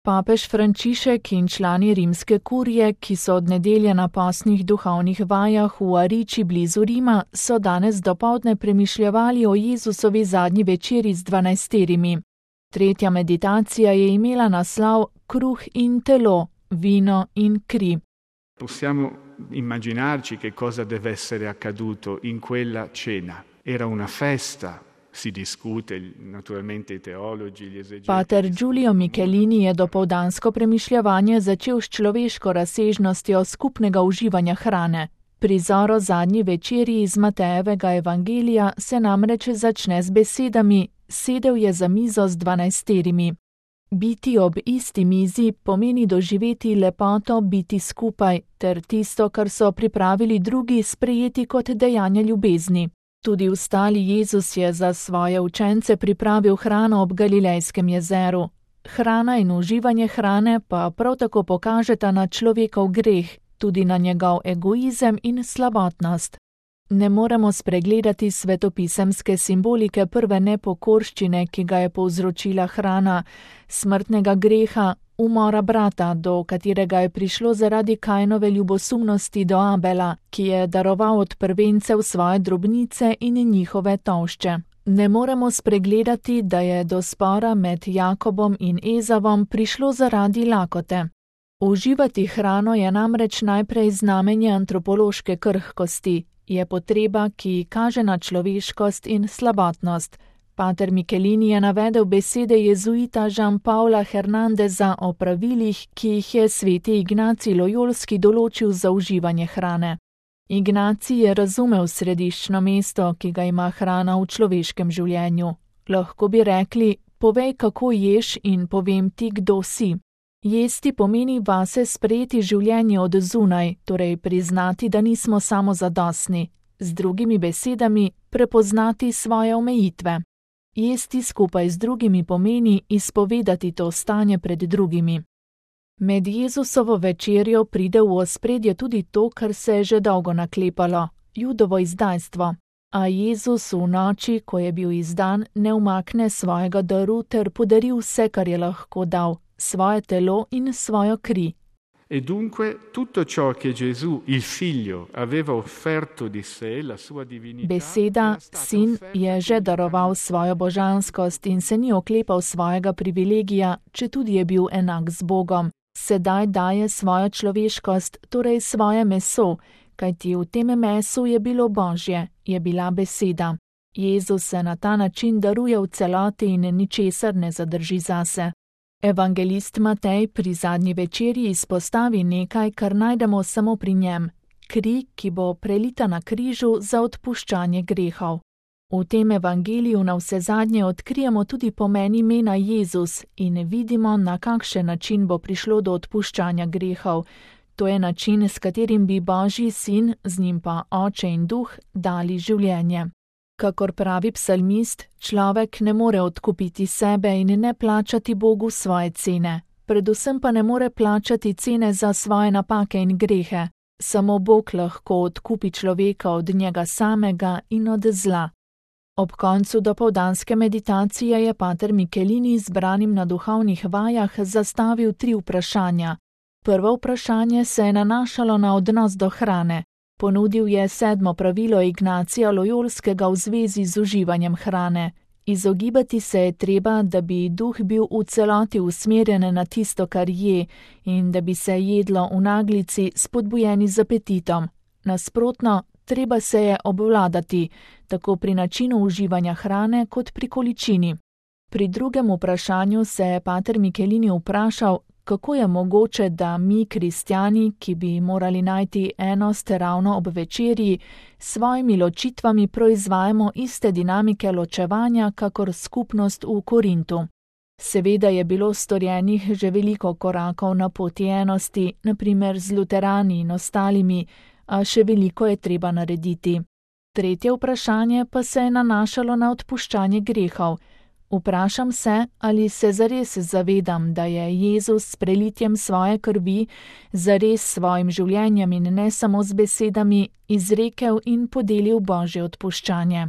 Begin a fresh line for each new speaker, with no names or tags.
Papež Frančišek in člani rimske kurije, ki so od nedelje na postnih duhovnih vajah v Ariči blizu Rima, so danes dopoldne premišljevali o Jezusovi zadnji večeri z 12. Tretja meditacija je imela naslov Kruh in telo, vino in kri.
Possiamo immaginarci che cosa deve essere accaduto in quella cena. Era una festa. Si discute, naturalmente i teologi, gli esegeti.
Pater Giulio Michelini je dopoldansko premišljevanje začel s človeško razsežnostjo skupnega uživanja hrane. Prizor o zadnji večeri iz Matejevega evangelija se namreč začne z besedami: sedel je za mizo z 12. Biti ob isti mizi pomeni doživeti lepoto biti skupaj, ter tisto, kar so pripravili drugi, sprejeti kot dejanje ljubezni. Tudi vstali Jezus je za svoje učence pripravil hrano ob Galilejskem jezeru. Hrana in uživanje hrane pa prav tako pokažeta na človekov greh, tudi na njegov egoizem in slabotnost. Ne moremo spregledati svetopisemske simbolike prve nepokorščine, ki ga je povzročila hrana, smrtnega greha, umora brata, do katerega je prišlo zaradi Kainove ljubosumnosti do Abela, ki je daroval od prvencev svoje drobnice in njihove tolšče. Ne moremo spregledati, da je do spora med Jakobom in Ezavom prišlo zaradi lakote. Uživati hrano je namreč najprej znamenje antropološke krhkosti, je potreba, ki kaže na človeškost in slabotnost. Pater Michelini je navedel besede jezuita Jean-Paula Hernandeza o pravilih, ki jih je sveti Ignacij Lojolski določil za uživanje hrane. Ignacij je razumel središčno mesto, ki ga ima hrana v človeškem življenju. Lahko bi rekli: povej, kako ješ, in povem ti, kdo si. Jesti pomeni vase sprejeti življenje od zunaj, torej priznati, da nismo samozadostni. Z drugimi besedami, prepoznati svoje omejitve. Jesti skupaj z drugimi pomeni izpovedati to stanje pred drugimi. Med Jezusovo večerjo pride v ospredje tudi to, kar se je že dolgo naklepalo, Judovo izdajstvo. A Jezus v noči, ko je bil izdan, ne umakne svojega daru ter podari vse, kar je lahko dal, svoje telo in svojo kri.
E dunque tutto ciò che Gesù, il figlio, aveva offerto di sé, la sua divinità.
Beseda, sin, je že daroval svojo božanskost in se ni oklepal svojega privilegija, četudi je bil enak z Bogom. Sedaj daje svojo človeškost, torej svoje meso, kajti v tem mesu je bilo Božje, je bila beseda. Jezus se na ta način daruje v celoti in ničesar ne zadrži zase. Evangelist Matej pri zadnji večerji izpostavi nekaj, kar najdemo samo pri njem: kri, ki bo prelita na križu za odpuščanje grehov. V tem evangeliju navsezadnje odkrijemo tudi pomen imena Jezus in vidimo, na kakšen način bo prišlo do odpuščanja grehov. To je način, s katerim bi Božji sin, z njim pa Oče in Duh, dali življenje. Kakor pravi psalmist, človek ne more odkupiti sebe in ne plačati Bogu svoje cene. Predvsem pa ne more plačati cene za svoje napake in grehe. Samo Bog lahko odkupi človeka od njega samega in od zla. Ob koncu dopoldanske meditacije je pater Michelini zbranim na duhovnih vajah zastavil 3 vprašanja. Prvo vprašanje se je nanašalo na odnos do hrane. Ponudil je 7. pravilo Ignacija Lojolskega v zvezi z uživanjem hrane. Izogibati se je treba, da bi duh bil v celoti usmerjen na tisto, kar je, in da bi se jedlo v naglici spodbujeni z apetitom. Nasprotno, treba se je obvladati, tako pri načinu uživanja hrane kot pri količini. Pri drugem vprašanju se je pater Michelini vprašal, kako je mogoče, da mi, kristjani, ki bi morali najti enost ravno ob večerji, s svojimi ločitvami proizvajamo iste dinamike ločevanja, kakor skupnost v Korintu. Seveda je bilo storjenih že veliko korakov na poti enosti, na primer z luterani in ostalimi, a še veliko je treba narediti. Tretje vprašanje pa se je nanašalo na odpuščanje grehov. Vprašam se, ali se zares zavedam, da je Jezus s prelitjem svoje krvi zares svojim življenjem in ne samo z besedami izrekel in podelil Božje odpuščanje.